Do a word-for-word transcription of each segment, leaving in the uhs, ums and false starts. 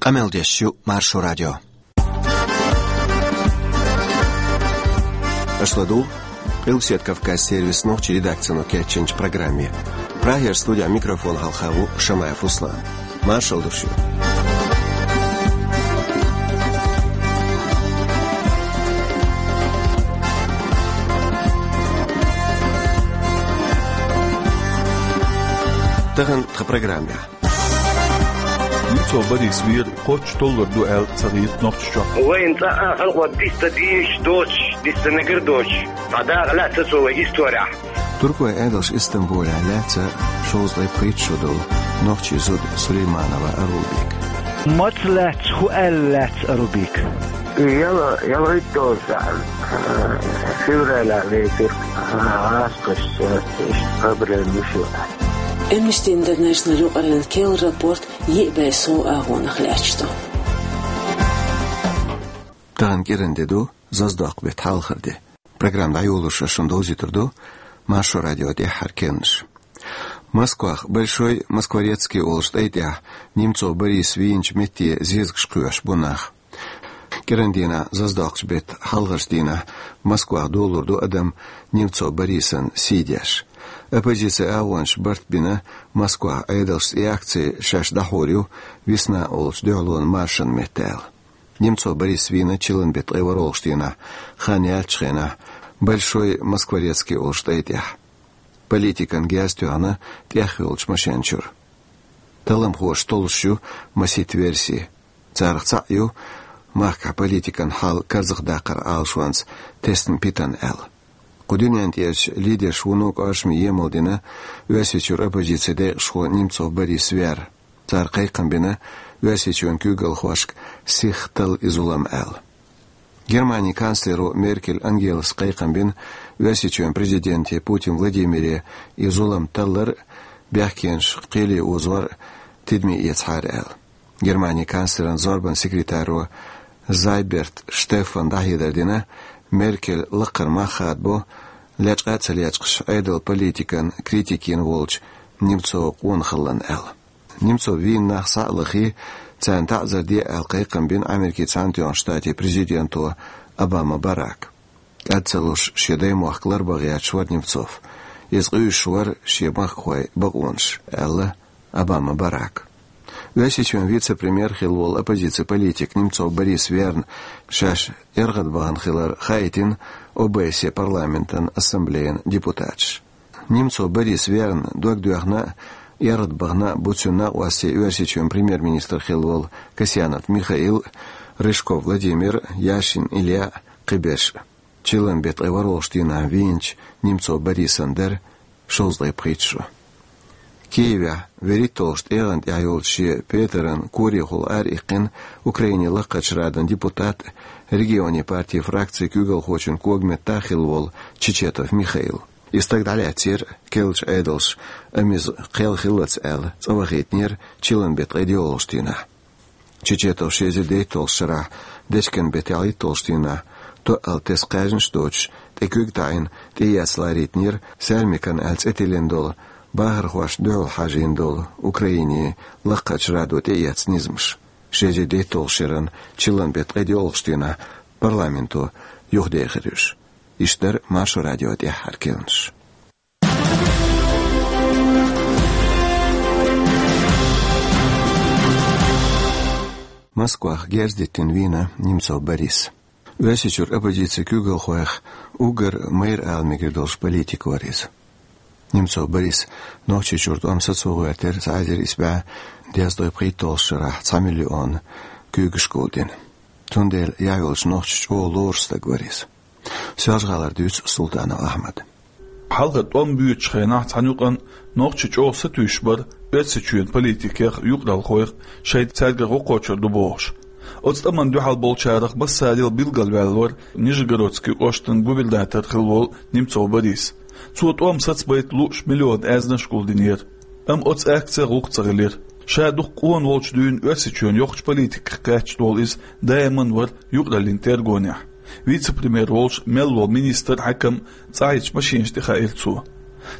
Къамел деш ю Маршо радио. Аша ладугӀу Къилбаседа Кавказан сервисан нохчийн редакцино кечйинчу программе. Прагера студехь микрофон хьалха ву Шамаев Руслан. Маршалла ду шуьга. Тахана тхан программехь. Немцов Борис вер кхоччуш толлур ду аьлла ца хета Нохчийчохь. Вайн цӀа а халкъо дицдан дезаш доцуш, дицдан мегар доцуш, дӀадаккха лаьцна цо вайн исторехь. Туркойн Ӏедалша Истамбулехь лаьцна шовзткъе пхийтта шо долу нохчийн зуда Сулейманова Арубик. Маца лаьцна, хӀун аьлла лаьцна Арубик? Яла, ялхитталгӀа шо, февралехь летира гӀазкхаша, иштта проблема ю шуна. Amnesty International юкъараллин керла рапорт йиъ бӀе сов агӀонах лаьтташ ду. Тахана кӀиран де ду, Зазадоккху беттан хьалхара де. Программа дӀайолош ас шуна довзуьйтур ду Маршо радион тӀаьххьара керланаш. Москвахь Большой Москворецкий олучу тӀай тӀехь Немцов Борис вийначу метте зезагаш кхоьхьуш бу нах. КӀиран дийнахь, Зазадоккхучу беттан хьалхарчу дийнахь, Москвахь долалур ду адам Немцов Борисан сий деш. Оппозицин агӀончаша барт бина Москвахь Ӏедалшца и акци шаьш дӀахьур ю «Весна» олучу дуьхьалонан маршан метта аьлла. Немцов Борис вийна чиллан беттан ткъе ворхӀалгӀачу дийнахь, хан яьллачу хенахь, Большой Москворецкий олучу тӀай тӀехь. Политикана герз тоьхна тӀехйолчу машен чуьра. Талламхоша толлуш ю масийтта верси. Царах цхьаъ ю махкахь политикан хьал карзахдаккхаран Ӏалашонца тесна питана аьлла. Кху дуьнен тӀерачу лидерша вуно кӀоршаме емал дина Оьрсийчуьра оппозицин декъашхо Немцов Борис вер. Цара кхайкхам бина Оьрсийчоьнан куьйгалхошка сиха талла и зулам аьлла. Германин канцлеро Меркель Ангелас кхайкхам бина Оьрсийчоьнан президенте Путин Владимире и зулам таллар а, бехкенаш кхеле озор а тидаме эцахьара аьлла. Германин канцлеран зорбанан секретаро Зайберт Штеффана дӀахьедар дина, Меркель лакхара мах хадабо, лечкъа а ца лечкъаш, Ӏедалан политикан критика йина волчу Немцован къонахаллина аьлла. Немцов вийна нах схьа а лахий, царна таӀзар де аьлла кхайкхам бина Америкин Цхьаьнатоьхначу Штатийн президенто Обама Барака. КӀад ца луш шен даймохк ларбан гӀерташ вара Немцов. Иза къуьйсуш вара шен махкахойн бакъонаш, аьлла Обама Барака. Оьрсийчоьнан вице-премьер хилла волу оппозицин политик Немцов Борис верна шаьш яргӀад бахана хилар хаийтина ОБСЕ парламентан ассамблеян депутаташа. Немцов Борис верна, дог доьхна а, яргӀад бахана а бу цуьнан накъостий Оьрсийчоьнан премьер-министр хилла волу Касьянов Михаил а, Рыжков Владимир а, Яшин Илья а, кхиберш а. Чиллан беттан ткъе ворхӀалгӀачу дийнахь вийначу Немцов Борисан дара шовзткъе пхийтта шо. Киевехь вуьрхӀитталгӀачу тӀегӀан тӀехь йолчу шен петаран корехула ара иккхина Украинин Лакхарчу Радан депутат а, регионийн партин фракцин куьйгалхочун кога меттахь хилла волу Чечетов Михаил. И стаг дӀалаьцнера керлачу Ӏедалша, амма иза кхел хиллалц аьлла, цӀа вахийтинера чиллан беттан ткъе доьалгӀачу дийнахь. Чечетов ши эзар дейтталгӀачу шарахь дечкен беттан ялхитталгӀачу дийнахь, тоъал тесна кхаьжнаш доцуш, тӀе куьг таӀийна, тӀеэцна ларийтинера Саьрмикан аьлла цӀе тиллина долу бахархошна дуьхьал хьажийна долу Украинин Лакхарчу Радо тӀеэцна низамаш. Ши эзар дейтталгӀачу шеран чиллан беттан ткъе доьалгӀачу дийнахь парламенто юхадехира уьш. Иштта дара Маршо радион тӀаьххьара керланаш. Москвахь герз диттина вийна Немцов Борис. Оьрсийчуьра оппозицин куьйгалхойх уггар майра ала мегар долуш политик вара иза. Немцов Борис Нохчийчуьра тӀом сацо гӀоьртира цхьа эзар исс бӀе дезткъе пхийтталгӀачу шарахь, цхьа миллион куьйгашка гулдина. Цундела яхь йолчу нохчашна чӀогӀа лоруш стаг вара иза. Соьлжа-ГӀалара дуьйцу Султанов Ахьмада. Хьалха тӀом боьдучу хенахь цхьана юкъана нохчий чӀогӀа сатуьйсуш бара Оьрсийчоьнан политикех а, юкъаралхойх а, шайна цаьргара гӀо кхочур ду бохуш. Оцу тӀамна дуьхьал болчарах массарел билгалваьлла вара Нижегородскан кӀоштан губернатор хилла волу Немцов Борис. Цо тӀом сацабайта лууш миллион аьзнаш а гулдинера. Амма оцу акцех гӀуллакх ца хилира. Ша дукха къона волчу дуьйна Оьрсийчоьнан йоккхачу политиках кхаьчна волу иза даиман вара юкъараллин тергонехь. Вице-премьер волуш мел волу министр, хьаькам цӀахь йолчу машинаш тӀе хаийра цо.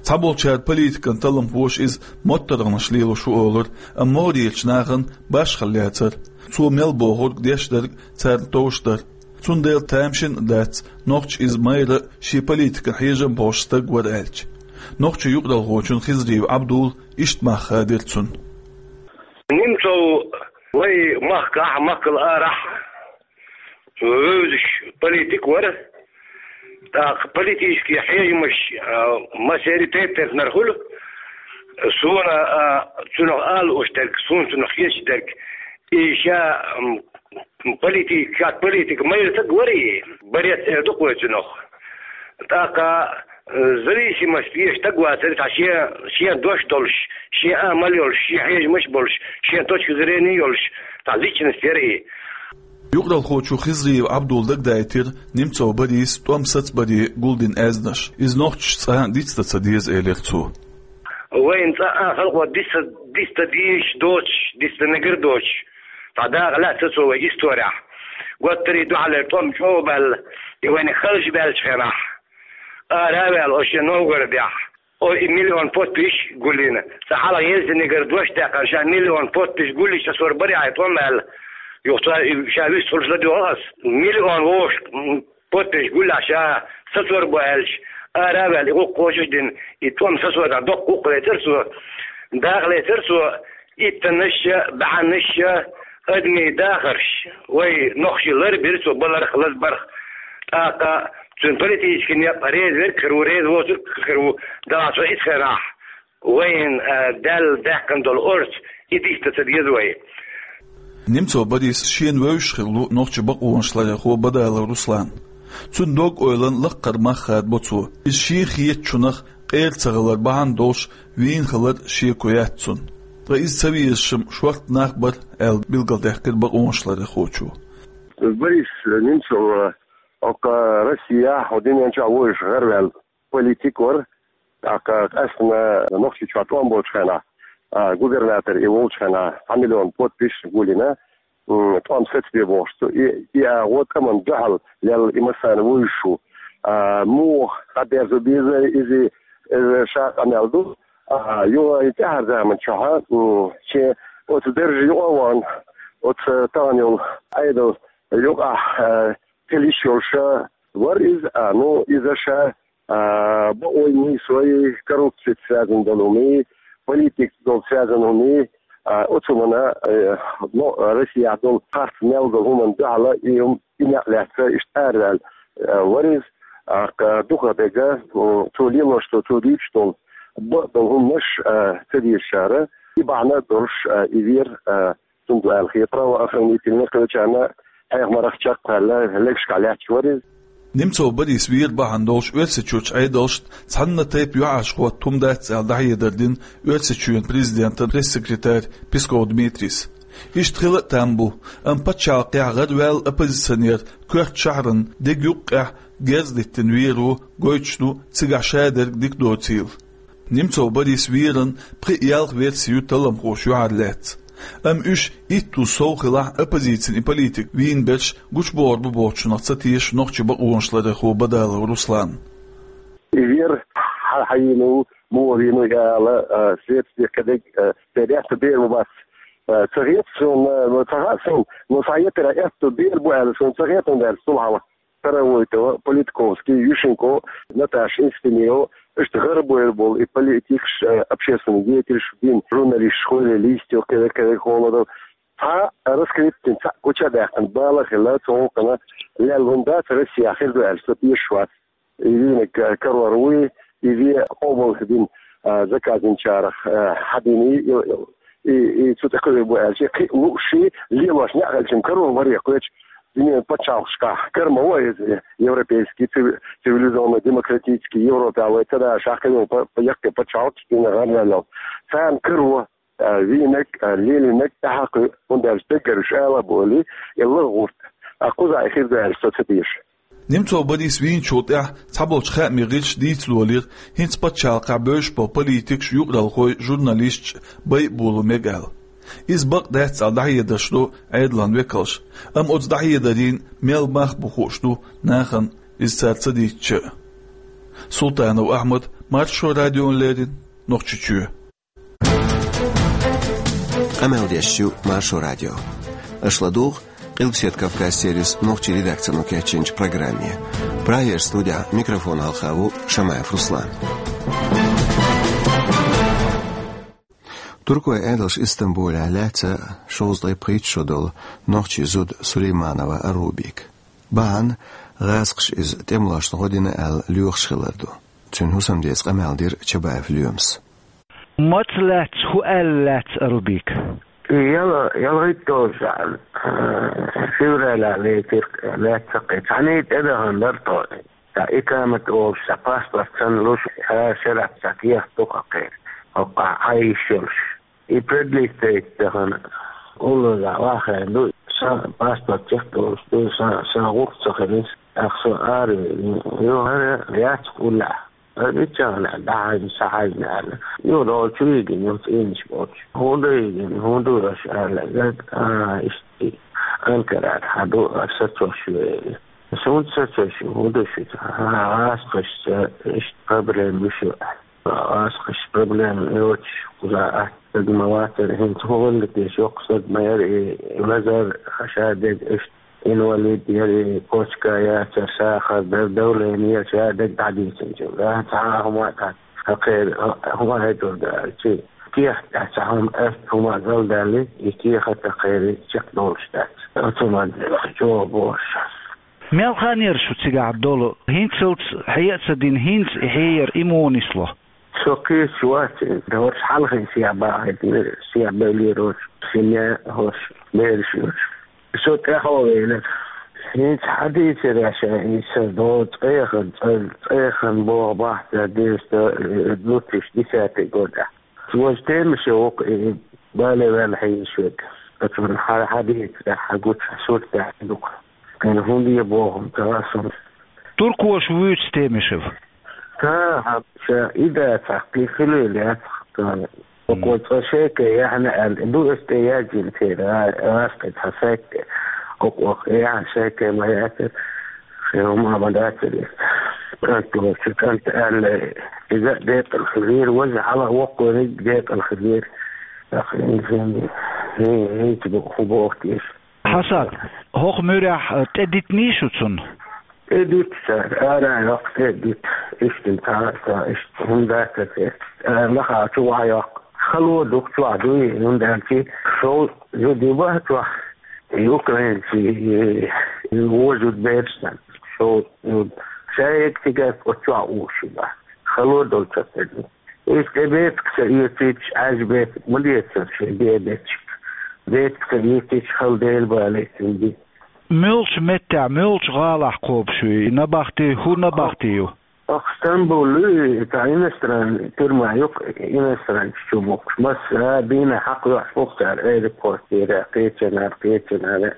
Цхьаболчара политикан талламхоша иза моттаргӀанаш лелош ву олура, амма могӀарерчу нахана башхалла яцара. Цо мел бохург деш дерг царна товш дара. Цундела тамашийна а дац, нохчо иза майра а, шен политикан хьежам болуш стаг вара аьлча. Нохчийн юкъаралхочун Хизриев Ӏабдулла иштта мах хадийра цунна. Немцов вай махкахь, махкал арахь вевзаш политик вара. ТӀаккха политический хьежамаш, а, массеран тайп-тайпанара хуьлу. Суна, а, цунах ала лууш дерг, суна цунах хеташ дерг, и ша, м, политик, как политик майра стаг вара и, борец эр ду-кх вай цунах. ТӀаккха, э, зависимость еш стаг вацара, цхьа шен, шен дош долуш, шен амал йолуш, шен хьежамаш болуш, шен точка зрения йолуш, цхьа личность яра и. Юкъаралхочо Хизриев Ӏабдулла дагадайтира Немцов Борис тӀом сацабаре гулдина аьзнаш. Иза нохчашца цкъа а дицдан ца деза, элира цо. Вайна цкъа а халкъо диц-, диц дан дезаш доцуш, диц дан мегар доцуш, цхьа дакъа лаьцна ца цо вай исторехь. Готтарий дуьхьалера тӀом чӀогӀа баьлла, и вайна халчу баьллачу хенахь, ара а ваьлла, оцу шен Новгородехь, о, и миллион подписчик гулйина. Цкъа хьалха Ельцинегара дош даьккхина, ша миллион подписчик гулйича, аса вара барехь и тӀом аьлла. Юха цо и ша вистхуьлуш ладоьгӀу ас. Миллион вовшах, м, подписчик гулъяхь ша сацор бу аьлча, ара а ваьлла, и гӀуллакх кхочуш а дина, и тӀом сацорехь доккха гӀуллакх лецира цо, дакъа лецира цо, иттаннаш а, баьхьаннаш а, адамийн дахарш, вай нохчий ларбира цо, баларх, лазбарх. ТӀаккха цуьнан политический некъ реза верг а хир ву, реза воцург а хир ву, Дала цо итт хенахь вайна, а, Далла даьккхина долу орца, и дицдан ца деза вай. Немцов Борис шена вевзаш хилла ву нохчийн бакъонаш ларъярхо Бадалов Руслан. Цуьнан дог-ойланна лаккхара мах хадабо цо. Иза шен хетачунах къера ца хилар бахьана долуш вийна хилар шеко яц цунна. Ткъа иза ца везаш-м шортта нах бара, аьлла билгалдаьккхира бакъонаш ларъярхочо. Борис Немцов, хӀокху Россехь, хӀокху дуьнен чохь вовзаш гӀараваьлла политик вара. ТӀаккха къаьсттина Нохчийчохь тӀом болчу хенахь, а, губернатор и волчу хенахь, цхьа миллион подписчик гулйина, м, тӀом сацабе бохуш цо. И, и агӀо тӀамна дуьхьал лелла, и массарна вевзаш ву. А, муха дӀадерзо беза иза, иза ша къамел ду. А, юха и тӀаьхьара заман чохь, м, шен оцу даржа юкъа а вахана, оцу тахана йолу Ӏедал юкъахь, а, хила йиш йолуш вара иза. А, ну, иза ша а, бакъонний, сой, коррупцица связан долу хӀумий, политикца долу связан хӀумий, а, оцу хӀуманна, э, но, Россехь долу харц мел долу хӀуманна дуьхьал и хӀум-, и некъ лаьцна иштта араваьлла, э, вара иза, а, кха-, дукха дерг, м, цо лелош долу, цо дуьйцуш долу, бакъ долу хӀуманаш, э, ца дезачара, и бахьана долуш, э, и вера, э, Цундела аьлла хета правоохранительный кхечарна хьехамарах чекхваьлла, легашкахь лаьтташ вара иза. Немцов Борис вер бахьана долуш Оьрсийчуьрчу Ӏедалшна цхьанна тайпа юьхьӀаьржа хӀотта хӀума дац аьлла дӀахьедар дина Оьрсийчоьнан президентан пресс-секретарь Песков Дмитрийс. Иштта хила а там бу, амма пачхьалкхехь гӀараваьлла оппозиционер коьрта шахьарна деган юккъехь герз диттина вер ву, гойтуш ду цигахь шадерг дика доцийла. Немцов Борис веран пхи а ялх верси ю талламхоша юьхьарлаьцна. Амма уьш итт ву сов хилахь, оппозицин и политик вийна берш гучубохур бу бохучунах ца теша нохчийн бакъонашларъярхо Бадалов Руслан. И вер хьан хьайийна ву, муха вийна ву ала, а, следствие кхидерг, а, церан аьтто бер бу бац, а, ца хета суна, а, ца хаьа суна, но схьаэттара аьтто бер бу аьлла суна ца хета, хӀунда аьлча цул хьалха Старовойтова, Политковский, Ющенко, Наташа Инстиньева, иштта гӀарабойр болу и политикаш, э, общественный деятелаш, дин, журналисташ, хӀоьллий, Листьев, кхидерг, кхидерг, Холодов. Цхьа а раскрыть дина, цхьа а гуча а даьккхина бала а хилла, цу гӀуллакхана лелла хӀума дац Россехь, хир ду аьлча, со тешаш вац. И вийнарг, э, карор вуй, и вен къобалдина, э, заказ динчарах, э, хьадийний, и, и, и цу тӀе кхуьур бу аьлча, кхин а лууш, лелош некъ хилча-м карор вара кхечу дуьненан пачхьалкхашкахь. Кара ма ву иза европейский, цив-, цивилизованный, демократический, Европехь вай ца дашахь, кхин а па-, па-, яккхий пачхьалкхаш дина гӀарваьллал. Царна каро, а, вийнарг, а, лелийнарг тӀаьхьа кхуьу, хӀунда аьлча даггара уьш ала а болий, и лагӀа гӀурт. А кхузахь и хир ду аьлча со ца теша. Немцов Борис вийначул тӀаьхьа цхьаболчу хаамийн гӀирсаша дийца лолийра, хӀинца пачхьалкхехь бевзаш болу политикаш, юкъаралхой, журналисташ байъа боло мега аьлла. Иза бакъ дац аьлла дӀахьедарш до Ӏедалан векалша, амма оцу дӀахьедарийн мел мах бу хууш ду нахана, иза цара ца дийцча а. Султанов Ахьмад, Маршо радион леррина Нохчийчоь. Къамел деш ю Маршо радио. Аша ладугӀу Къилбаседа Кавказ сервисан нохчийн редакцино кечйинчу программе. Прагера студехь микрофон хьалха ву Шамаев Руслан. Туркойн Ӏедалша Истамбулехь лаьцна шовзткъе пхийтта шо долу нохчийн зуда Сулейманова Арубика. Бахьана гӀазкхаша иза тӀемалошна гӀо дина аьлла лоьхуш хилар ду. Цуьнан хӀусамдеца къамел дира Чабаев Лоьмас. Маца лаьцна, хӀун аьлла лаьцна Арубика? Яла, ялхитталгӀа шо, февралехь лецира, лаьцна кхин. Цхьаьна тӀедахана дара тхо. Цхьа икамат олуш, цхьа паспорт санна луш, цхьа шарахь цхьа кехат ду-кх кхеран, хӀокху хьан йиш йолуш. И продлить яхана, уллохь вахана ду, сан паспорт чекхдолуш ду, сан, сан гӀуллакх ца хилира, тӀаккха со ара веана. Юха хӀара яц-кх уллехь. Аса миччахьа дӀахьаьжна, схьахьаьжна аьлла. Юха долчу вигина, юха цӀийнаш болчу. ХӀунда вигина, хӀунда ву аша аьлла. Гад, а, иштта Анкарара хьан ду, аса сацош ву. Суна сацош ву, хӀун ду шуьца? ХӀан, гӀазкхашца иштта проблема ю шун. Ас кхин проблема йоцуш кхуза атта стаг ма вацара, хӀинца хӀун хилла те, йоккха стаг ма яра и, лазар, ша дерг иштта инвалид яра и, почка яцара, сахар дара, давление яра, ша дерг дӀадийцинчул. Дан цхьа а хӀума а дац, хӀокхеран хӀума хӀетур дац, цуьнан кехат тӀехь цхьа хӀума, атта хӀума а галдаьлла, и кехат а кхеран чекхдолуш дац. Оцу ма деза, чӀогӀа бохуш. Мел хан яра шу цигахь долу? ХӀинцалц хье а ца дина, хӀинца и хье яра, и муха нисло? Со кхеча вац, хӀорш хьалхина сехьа бахийтина, сехьа бевллера хӀорш, семья хӀорш, бераш йолуш. Со тӀаьхьо веанера. ХӀинца хьадийцира ша, и сан догӀу цӀеяхана, цӀе-, цӀеяхана боху бахьта деза, э, две тысячи десятый годехь. Важа Темишев ву-кх и, бале ваьлла хьийзаш верг. Оцунна хьан хьадийцарехь, хьан гучу, хьан суртехь ду-кх. Кхин хӀунда е боху-м ца хаьа суна. Туркоша вуьйцу Темишев? Та, хьан ша и дацахь, кхин хилийла яцахь, тана. Оцо цкъа шайке яхьна аьлла, ду аса тӀе яздина церан, а, гӀазкхи цхьа сайт тӀе. Оцо яхьна шайке ма яцара. Шен хӀума а ма дацара иза. КӀант лоцу, кӀант аьлла, иза а декъала хилира, важа хьала а воккхаварг декъала хилира. ТӀаккха хӀинца, хӀин-, хӀинца бу-, хӀун боху те иза? Хьасан, хӀокху муьрехь, э, тӀе дитиний шу цунна? ТӀе дита цара, ара а йоккху, тӀе а дита. Иштта цхьа а, цхьа а, иштта хӀума дац те. Э, лаха чу ваха йоккху. Хало дукха чохь дуй, хӀунда аьлча шовзткъа зуда ю баха чохь. И украинций, и вожуд берш сан. Шо, ну, шайга цигахь оцу чохь уьш ю баха. Хало долчохь тӀе ду. Иза тӀе бепиг ца оьцуьйтуш, Ӏаьржа бепиг ма децара шайн бен бетташка. Бепиг ца оьцуьйтуш, хала Дела балийта цуьнан бен. Муьлхачу меттехь, муьлхачу гӀалахь кхобуш ю и набахти, хӀун набахти ю? Оха Стамбул ю, и цхьа иностранный тюрьма ю-кх, иностранцаш чу бухкуш. Массара а дийнахь хьакхайохьуш бу-кх цара аэропортера, кхечанара, кхечанара.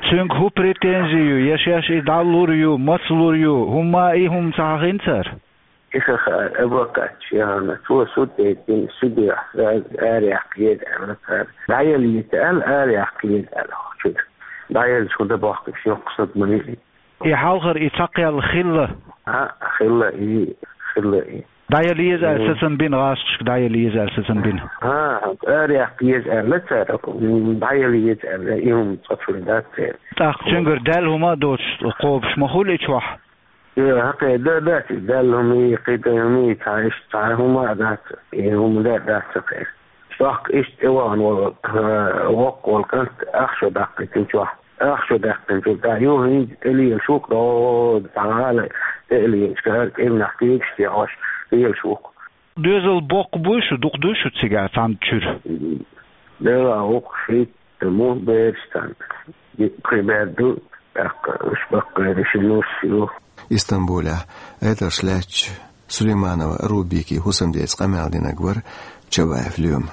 Цуьнга хӀун претензи ю, я шаьш и дӀалур ю, маца лур ю, хӀумма а и хӀума ца хьахийна цара? И ха хаьа, адвокаташ яхана, цо суд яйтина, судехь араяьккха еза аьлла цара. ДӀаяла еза аьлла, араяьккха еза аьлла хӀокху чуьра. ДӀаелча хӀун дан бохкуш йоккха стаг ма ву и. И хьалхара и цхьакхаьлла хилла? А, хилла и, хилла и. ДӀаяла еза аьлла сацам бина, гӀазкхашка дӀаяла еза аьлла сацам бина? А, араяьккха еза аьлла цара, м, дӀаяла еза аьлла, и хӀума цкъа чуьра дац церан. ТӀаккха цуьнгара даьлла хӀума а доцуш кхобуш ма хуьлу и чохь? Э, хьакхе дан дац и, даьлла хӀума и, кхидӀа хӀума и, цхьа иштта цхьа хӀума а дац, и хӀума дан а дац ца кхера. ТӀаккха иштта тӀевахана волу, э, воккха волу кӀант ах шо даьккхина чохь. Ах шо даьккхинчул тӀаьхьа юха хӀинца тӀе лелаш ву-кх, дӀо, цхьа гӀала тӀе а лелаш, кара кӀирнах кегаш тӀе Ӏаш лелаш ву-кх. Доьзал боккха буй шу, дукха дуй шу цигахь цхьана чуьра? Делахь ву-кх шийтта мух бераш цхьана. Кхин бер ду, тӀаккха уьш баккхийра ши нус ю. Истамбулехь Ӏедалша лаьттачу Сулейманова Арубикин хӀусамдеца къамел динарг вара Чабаев Лоьма.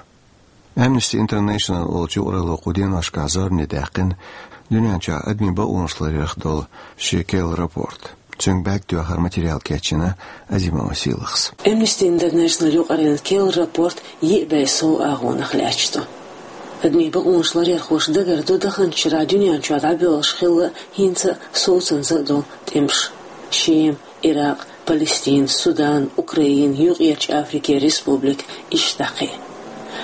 Amnesty International олучу юкъаралло кху деношкахь зорбане даьккхина дуьнен чохь адамийн бакъонаш ларъярх долу шен керла рапорт. Цуьнга бӀаьрг тоьхнера материал кечйина Азимова Сийлахьас. Amnesty International юкъараллин керла рапорт йиъ бӀе сов агӀонах лаьтташ ду. Адамийн бакъонаш ларъярхоша дагардо даханчу шарахь дуьнен чохь дӀабоьлхуш хилла хӀинца а совцанза а долу тӀемаш. Шема, Иракъ, Палестина, Судан, Украина, Юкъерчу Африкера республика, иштта кхин.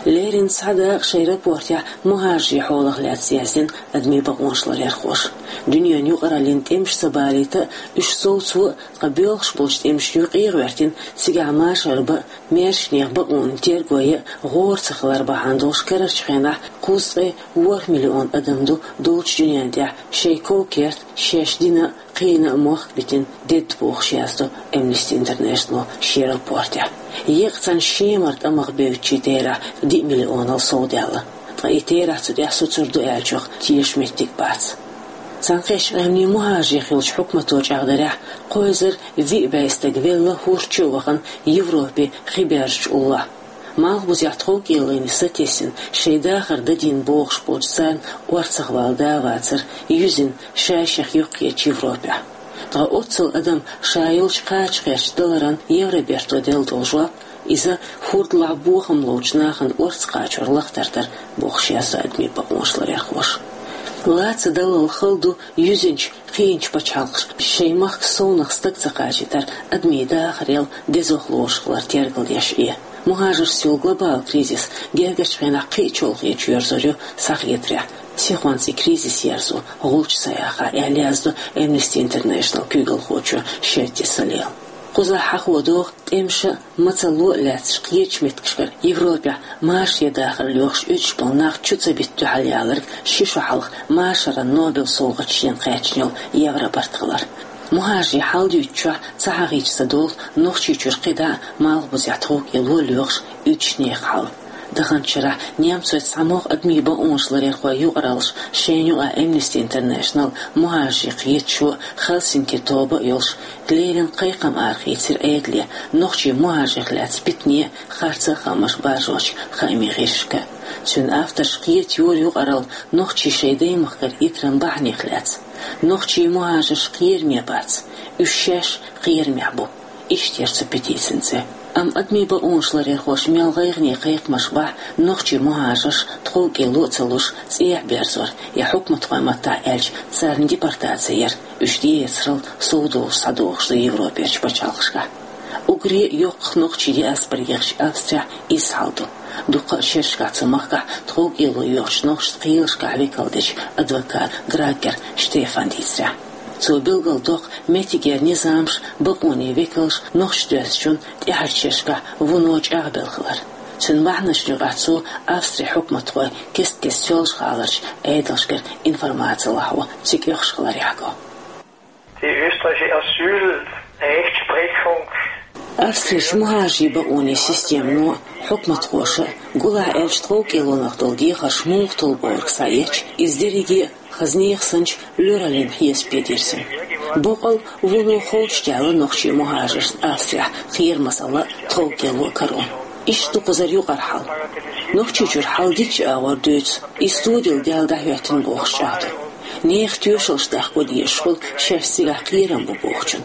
Леррина цхьа дакъа шайн рапортехь мухӀажарийн хьолах лаьцна яздина адамийн бакъонаш ларъярхоша. Дуьненан юкъараллин тӀемаш ца балийта а, уьш совцо а, ткъа боьлхуш болчу тӀемашна юкъе а гӀоьртина, цигахь машар бан а, маьршачу нехан бакъонна терго ян а гӀора ца хилар бахьана долуш карарчу хенахь кхузткъе ворхӀ миллион адам ду долчу дуьнен тӀехь шайн ков-керт, шаьш дина а, кхиъна а мохк битина дедда бохуш яздо Amnesty International шен рапортехь. Еккъа цхьана Шемара тӀамах бевддачийн терахь диъ миллионал совдаьлла. Ткъа и терахь цу тӀехь соцур ду аьллачух тешаш меттиг бац. Цхьаьнакхеттачу Къаьмнийн мухӀажарийн хиллачу хьукмато чӀагӀдарехь, кхо эзар виъ бӀе стаг велла, хӀорш чу а вахана, Европе хи баьржачу уллохь. Малхбузехь тховкӀелойн сатесна, шайн дахар дан дина бохуш болчу царна орцахвала да а вацара, юьззина шаьш-шайх юххечу Европехь. Ткъа оццул адам ша йолчу кхача гӀерташ даларан Евроберто делла долу жоп, иза хӀордалахь бохам ловчу нахана орца кхачор лахтар дара бохуш яздо адамийн бакъонаш ларъярхоша. Лаца даллал хала ду юьззинчу, кхиъначу пачхьалкхаша шайн махка совнаха стаг ца кхачийтар адамийн дахарел дезох лоруш хилар тергалдеш Ӏе. МухӀажаршца йолу глобалан кризис гергарчу хенахь кхин а чолхе чоьрзур ю схьахетарехь, сихонца и кризис ерзо гӀулч ца яхахь, аьлла яздо Amnesty International куьйгалхочо Шетти Салела. Кхузахь хьахо догӀу, тӀемаша а, мацалло а лаьцначу кхечу меттигашкара Европехь машаре дахар лоьхуш уьдуш болу нах чу ца битта дуьхьал яларг ши шо хьалха машаран Нобел совгӀаташ дина кхаьчна йолу Евробарт хилар. МухӀажарийн хьал дуьйцучохь ца хьахийча ца долу Нохчийчуьра кхидӀа а малхбузехь тховкӀело лоьхуш уьдучу нехан хьал. Даханчу шарахь немцойн цхьамогӀа адамийн бакъонаш ларъярхойн юкъараллаш, шайна юкъахь Amnesty International, мухӀажарийн кхеташо, Хельсинки тоба а йолуш, леррина кхайкхам арахийцира Ӏедале, нохчийн мухӀажаршка лаьцна питане а, харца а хаамаш баржочу хаамийн гӀирсашка. Цуьнан авторша кхета йора юкъаралла нохчийн шайн даймахкара итаран бахьанех лаьцна. Нохчийн мухӀажарш кхераме бац, уьш шаьш кхерамехь бу. Иштта яра цу петицин цӀе. Амма адамийн бакъонаш ларъярхоша мел гӀайгӀане кхайкхамаш бахь, нохчийн мухӀажарш тховкӀело а ца луш, цӀехьа берзор, я хьукматхойн маттахь аьлча, царна депортаци яр, уьш тӀеэцарал совдовлуш схьадогӀуш ду Европерчу пачхьалкхашкахь. Уггаре а йоккхах нохчийн диаспора ехачу Австрехь изза хьал ду. Дуккха а шерашкахь цу махкахь тховкӀело йоьхучу нохчашца кхелашкахь векал дечу адвокат Граггер Штефан дийцарехь. Цо билгалдоккху меттигера низамаш, бакъонийн векалш нохчашца доьзначунна тӀаьхьарчу шерашкахь вуно чӀагӀбелла хилар. Цуьнан бахьанашна юкъахь цо Австрин хьукматхой кест-кеста Соьлжа-ГӀаларчу Ӏедалшкара информаци лахьо цига оьхуш хилар яхьо. Die österreichische Asylrechtsprüfung. Австрерчу мухӀажарийн бакъонийн системано, хьукматхоша, гулахь аьлча тховкӀелонах долу дехарш муха толбу бохург схьаэцча, иза дерриге а хаза нехан санчу лоьраллин хьесапе дирзина. Боккъал а вуно ховшадаьлла нохчийн мухӀажаршна Австрехь кхерамазалла а, тховкӀело а каро. Иштта ду кхузара юкъара хьал. Нохчийчуьра хьал дикачу агӀор дуьйцу, иза студил даьлла дӀахӀоьттина бохуш чӀагӀдо. Нехан тоьшаллаш даккха дезаш хуьлу шаьш цигахь кхерам бу бохучун.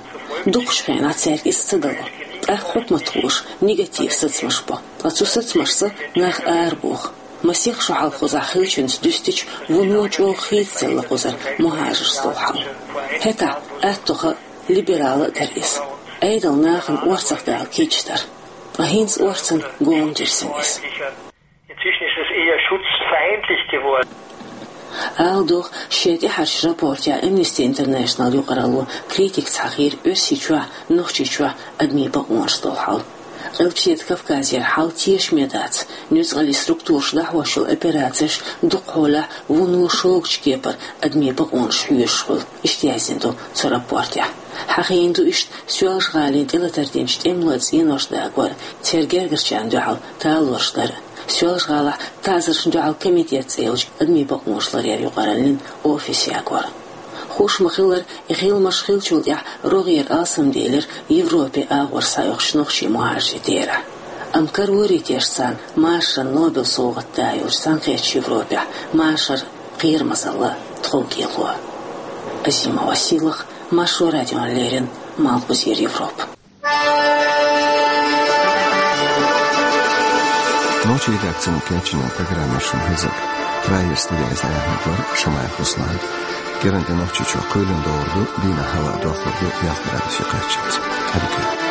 Дукхачу хенахь цаьрга иза ца дало. ТӀаккха хьукматхоша негатив сацамаш бо. Ткъа цу сацамашца нах арабоху. Масех шо хьалха кхузахь хиллачуьнца дуьстича, вуно чӀогӀа хийцаделла кхузара мухӀажаршца долу хьал. ХӀетахь аттоха а, либерала а дара иза. Ӏедал нахана орцах дала кийча дара. Ткъа хӀинца орцан гома дирзина иза. Inzwischen ist es eher schutzfeindlich geworden. Ала догӀу, шен тӀаьхьарчу рапортехь Amnesty International юкъаралло критика схьахийра Оьрсийчохь, Нохчийчохь адамийн бакъонаш долу хьал. Къилбаседа Кавказера хьал тешаме дац, нуьцкъаллийн структураш дӀахьош йолу операцеш дукхахьолахь вуно шогачу кепара адамийн бакъонаш хьоьшуш хуьлу, иштта яздина ду цу рапортехь. Хьахийна ду иштта Соьлжа-ГӀалин тӀелатар динчу тӀемалойн цӀеношна дагор, церан гергарчарна дуьхьал талораш дар. Соьлжа-ГӀалахь таӀзаршна дуьхьал комитет цӀе йолчу адамийн бакъонаш ларъяран юкъараллин офис ягор. Хууш ма-хиллара, и хиламаш хиллачул тӀаьхьа рогӀера алсамделира Европе агӀор схьаоьхучу нохчийн мухӀажарийн терахь. Амма карорий тешна царна машаран Нобел совгӀат да йолчу Цхьаьнакхеттачу Европехь машар, кхерамазалла, тховкӀело. Азима Василах, Маршо радиона леррина, Малхбузера Европа. Нохчийн редакцино кечйина программа шуна хезира. Проектан студехь аьлла хилла вара Шамаев Руслан. Герань де нохчочоа кхойлина доагӀаргда, дийнахьа хӀаваъ доахаргда, ялх градусе кхаччалца. Хьаьдига.